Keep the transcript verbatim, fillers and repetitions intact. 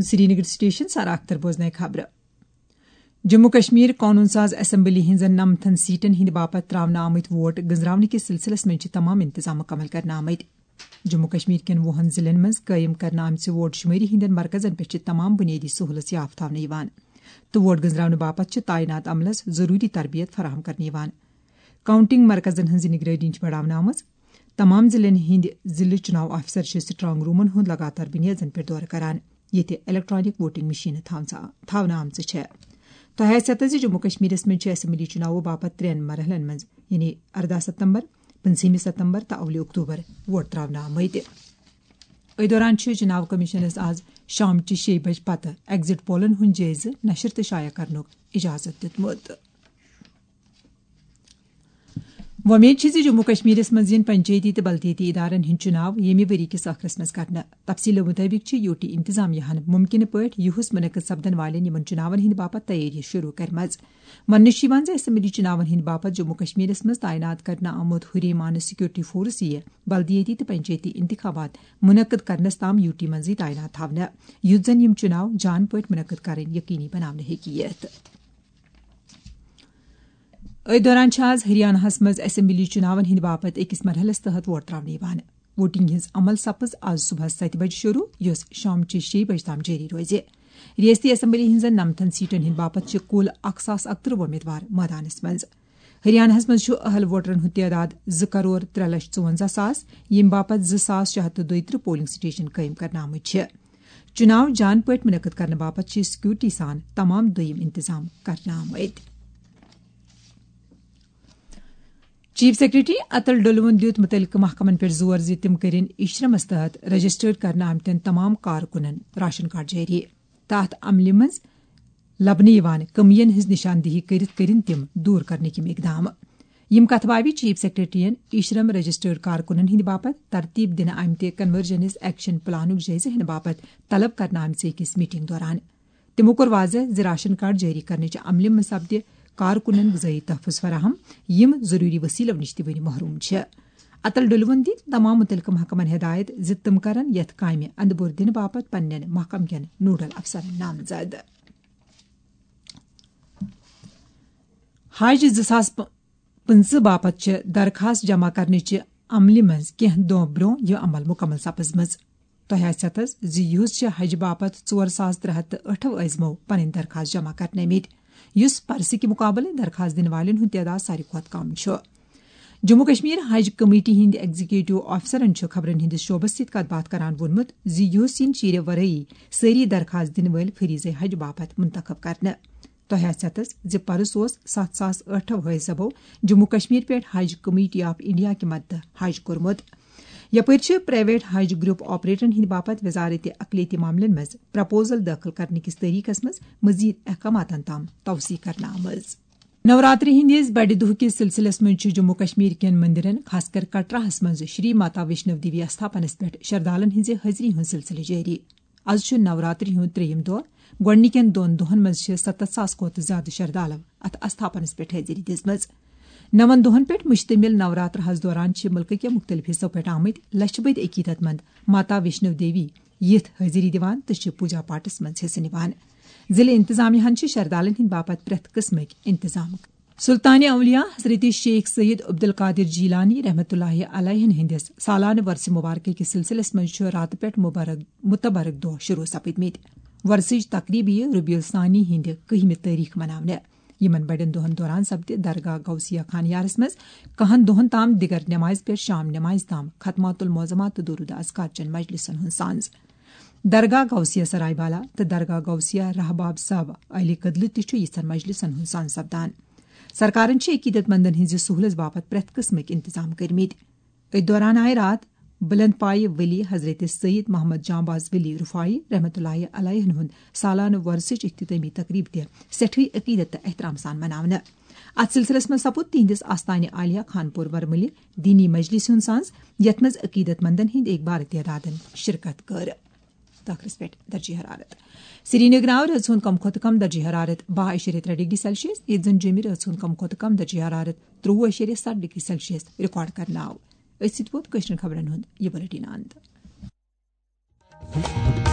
Srinagar station سارا اختر بوزنائے خبرٕ۔ جموں کشمیر قونوٗن ساز اسمبلی ہٕنٛزن نمتھن سیٹن ہٕنٛدِ باپتھ تراونہٕ آمٕتۍ ووٹ گٔنزراونہٕ کِس سلسلس منٛز چھِ تمام انتظام مکمل کرنہٕ آمٕتۍ۔ جموں کشمیر کٮ۪ن وُہن ضلعن منٛز قٲیِم کرنہٕ آمژِ ووٹ شمٲری ہٕنٛدٮ۪ن مرکزن پٮ۪ٹھ چھِ تمام بُنیٲدی سہوٗلژ یافتہٕ تھاونہٕ یِوان تہٕ ووٹ گٔنزراونہٕ باپتھ چھِ تعینات عملس ضروٗری تربیت فراہم کرنہٕ یِوان۔ کاؤنٹنگ مرکزن ہٕنٛز نگرٲنی چھِ بڑاونہٕ آمٕژ۔ تمام ضلعن ہٕنٛدۍ ضلعہٕ چُناو آفسر چھِ سٹرانگ رومن ہُنٛد لگاتار بُنیٲدن پٮ۪ٹھ دورٕ کران، ییٚتہِ الیکٹرانک ووٹنگ مشینہٕ تھاونہٕ تھاونہٕ آمژٕ چھےٚ۔ تۄہہِ آسہِ پتہ زِ جموں کشمیرس منٛز چھِ اسمبلی چُناوو باپتھ ترٛٮ۪ن مرحلن منٛز، یعنی ارداہ ستمبر، پٕنٛژہمہِ ستمبر تہٕ اولہِ اکتوبر ووٹ تراونہٕ آمٕتۍ۔ أتھۍ دوران چھُ چُناو کمیشنس آز شامچہِ شیٚیہِ بجہِ پتہٕ ایگزٹ پولن ہُنٛد جٲیزٕ نشر تہٕ شایع کرنُک اجازت دیُتمُت۔ وۄمید چھِ زِ جموں کشمیرس منٛز یِن پنچایتی تہٕ بلدیٲتی ادارن ہٕنٛدۍ چُناو ییٚمہِ ؤری کِس ٲخرس منٛز کرنہٕ۔ تفصیلو مُطٲبِق چھِ یوٗ ٹی انتظامیہ ہن مُمکِنہٕ پٲٹھۍ یِہُس منعقد سپدن والٮ۪ن یِمن چُناون ہٕنٛدِ باپتھ تیٲری شروٗع کٔرمٕژ۔ وننہٕ چھُ یِوان زِ اسمبلی چُناون ہٕنٛدِ باپتھ جموں کشمیرس منٛز تعینات کرنہٕ آمُت ہُریمانہٕ سیکورٹی فورس یِیہِ بلدیٲتی تہٕ پنچایتی انتخابات منعقد کرنس تام یوٗ ٹی منٛزٕے تعینات تھاونہٕ، یُتھ زن یِم چُناو جان پٲٹھۍ منعقد کرٕنۍ یقینی بناونہٕ ہیٚکہِ یِتھ۔ أتھۍ دوران چھِ آز ہریاناہس منٛز اسمبلی چُناون ہٕنٛدِ باپتھ أکِس مرحلس تحت ووٹ تراونہٕ یِوان۔ ووٹنگ ہٕنٛز عمل سپٕز آز صبحس ستہِ بجہِ شروٗع، یۄس شامچہِ شیٚیہِ بجہِ تام جٲری روزِ۔ ریاستی اسمبلی ہٕنٛزن نمتن سیٹن ہٕنٛدِ باپتھ چھِ کُل اکھ ساس اکترٕہ وۄمیدوار مٲدانس منٛز۔ ہریاناہس منٛز چھُ اہل ووٹرن ہُنٛد تعداد زٕ کرور ترٛےٚ لچھ ژُونزہ ساس، ییٚمہِ باپتھ زٕ ساس شےٚ ہتھ تہٕ دۄیہِ ترٕٛہ پولنگ سٹیشن قٲیِم کرنہٕ آمٕتۍ چھِ۔ چُناو جان پٲٹھۍ منعقد کرنہٕ باپتھ چھِ سیکورٹی سان تمام دوٚیِم انتظام کرنہٕ آمٕتۍ۔ چیف سیکرٹری اتل ڈولوَن دیُت مُتعلقہٕ محکمن پٮ۪ٹھ زور زِ تِم کٔرِن اشرمس تحت رجسٹرڈ کرنہٕ آمتٮ۪ن تمام کارکُنن راشن کارڈ جٲری۔ تہٕ اتھ عملہِ منٛز لبنہٕ یِوان کٔمین ہٕنٛز نشاندہی کٔرِتھ کٔرِن تِم دوٗر کرنٕکۍ یِم اقدام۔ یِم کتھٕ باوِ چیف سیکرٹریَن اشرم رجسٹرڈ کارکُنن ہٕنٛدِ باپتھ ترتیب دِنہٕ آمتہِ کنورجنس ایکشن پلانُک جٲیزٕ ہینہٕ باپتھ طلب کرنہٕ آمژِ أکِس میٹنگ دوران۔ تِمو کوٚر واضح زِ راشن کارڈ جٲری کرنٕچہِ عملہِ منٛز سپدِ کارکُنن غذٲیی تحفظ فراہم، یِم ضروٗری وسیلو نِش تہِ وُنہِ محروم چھِ۔ اتل ڈولوَن دِتۍ تمام مُتعلقہٕ محکمن ہدایت زِ تِم کرن یتھ کامہِ اندٕ بور دِنہٕ باپتھ پننٮ۪ن محکم کٮ۪ن نوڈل افسرن نامزد۔ حج زٕ ساس پٕنٛژٕہ باپتھ چھِ درخاست جمع کرنٕچہِ عملہِ منٛز کینٛہہ دۄہ برٛونٛہہ یہِ عمل مُکمل سپٕزمٕژ۔ تۄہہِ آسہِ پتہ زِ یُہُس چھِ حج باپتھ ژور ساس ترٛےٚ ہتھ تہٕ ٲٹھ عٲزمو پنٕنۍ درخاست جمع کرنٲومٕتۍ، یُس پرسہٕ کہِ مُقابلہٕ درخاست دِنہٕ والٮ۪ن ہُنٛد تعداد ساروی کھۄتہٕ کم چھُ۔ جموں کشمیر حج کمیٹی ہٕنٛدۍ ایگزیکٹو آفسرن چھُ خبرن ہٕنٛدِس شعبس سۭتۍ کتھ باتھ کران ووٚنمُت زِ یُہُس یِن چیٖرِ ورٲیی سٲری درخاست دِنہٕ وٲلۍ فریضے حج باپتھ منتخب کرنہٕ۔ تۄہہِ آسہِ پتہ زِ پرُس اوس ستھ ساس ٲٹھ حٲج صٲبو جموں کشمیر پٮ۪ٹھ حج کمیٹی آف انڈیا کہِ مدتہٕ حج کوٚرمُت۔ یپٲرۍ چھِ پرائیویٹ حج گروپ آپریٹرن ہٕنٛدِ باپتھ وزارت اقلیتی معاملن منٛز پرپوزل دٲخل کرنہٕ کِس طریقس منٛز مزید احکاماتن تام توسیع کرنہٕ آمٕژ۔ نوراتری ہٕنٛدِس بڑِ دۄہ کِس سلسلس منٛز چھُ جموں کشمیر کٮ۪ن مندرن، خاص کر کٹراہس منٛز شری ماتا ویشنو دیوی استھاپنس پٮ۪ٹھ شردالن ہٕنٛزِ حٲضری ہُنٛد سلسلہٕ جٲری۔ از چھُ نوراتری ہُنٛد ترٛیٚیِم دۄہ۔ گۄڈٕنِکٮ۪ن دۄن دۄہن منٛز چھِ ستتھ ساس کھۄتہٕ زیادٕ شردالو اتھ استھاپنس پٮ۪ٹھ حٲضری دِژمٕژ۔ نَوَن دۄہن پٮ۪ٹھ مشتمل نوراترہس دوران چھِ مُلکہٕ کٮ۪و مُختٔلِف حصو پٮ۪ٹھ آمٕتۍ لچھِ بٔدۍ عقیدت مند ماتا ویشنو دیوی یِتھ حٲضری دِوان تہٕ چھِ پوجا پاٹس منٛز حصہٕ نِوان۔ ضلعہٕ انتظامیہ ہن چھِ شردالن ہٕنٛدِ باپتھ پرٛٮ۪تھ قٕسمٕکۍ انتظام۔ سلطان اولیاء حضرت شیخ سید عبدالقادر جیلانی رحمتہ اللہ علیہ ہٕنٛدِس سالانہٕ ورثہ مبارکہ کِس سلسلس منٛز چھُ راتہٕ پٮ۪ٹھ مبارک متبرک دۄہ شروع سپٕدمٕتۍ۔ ورثٕچ تقریب یِیہِ ربیع الثانی ہٕنٛدِ کٔہمہِ تٲریخ مناونہٕ۔ یِمن بڑٮ۪ن دۄہن دوران سپدِ درگاہ غوثیہ خانیارس منٛز کہن دۄہن تام دِگر نمازِ پٮ۪ٹھ شام نمازِ تام ختمات المعظمات تہٕ درود اذکار چٮ۪ن مجلسن ہُنٛد سانز۔ درگاہ غوثیہ سراے بالا تہٕ درگاہ غوثیہ رحباب صٲب علی کدلہٕ تہِ چھُ یِژھن مجلسن ہُنٛد سانز سپدان۔ سرکارن چھِ عقیدت مندن ہٕنٛزِ سہولژ باپتھ پرٛٮ۪تھ قٕسمٕکۍ انتظام کٔرمٕتۍ۔ أتھۍ دوران آیہِ راتھ بلند پایہِ ولی حضرت سید محمد جانباز ولی رفاعی رحمتہ اللہ علیہ ہُنٛد سالانہٕ وۄرثٕچ اختتٲمی تقریب تہِ سٮ۪ٹھٕے عقیدت تہٕ احترام سان مناونہٕ۔ اتھ سلسلس منٛز سپُد تِہنٛدِس آستانہِ عالیہ خانپور ورملہِ دینی مجلس ہُنٛد سانز، یتھ منٛز عقیدت مندن ہٕنٛدۍ اکبار تعدادن شرکت کٔر۔ تہٕ ٲخرس پٮ۪ٹھ درجہ حرارت۔ سرینگر آو رٲژ ہُنٛد کم کھۄتہٕ کم درجہ حرارت باہ اعشاریہ ترٛےٚ ڈگری سیلسیس، ییٚتہِ زن جیٚمہِ رٲژ ہُنٛد کم کھۄتہٕ کم درجہ حرارت ترٛوٚوُہ اعشاریہ ستھ ڈگری سیلسیس ریکارڈ کرنہٕ آو۔ أتھۍ سۭتۍ ووت کٲشرٮ۪ن خبرن ہُنٛد یہِ بلیٹن اند۔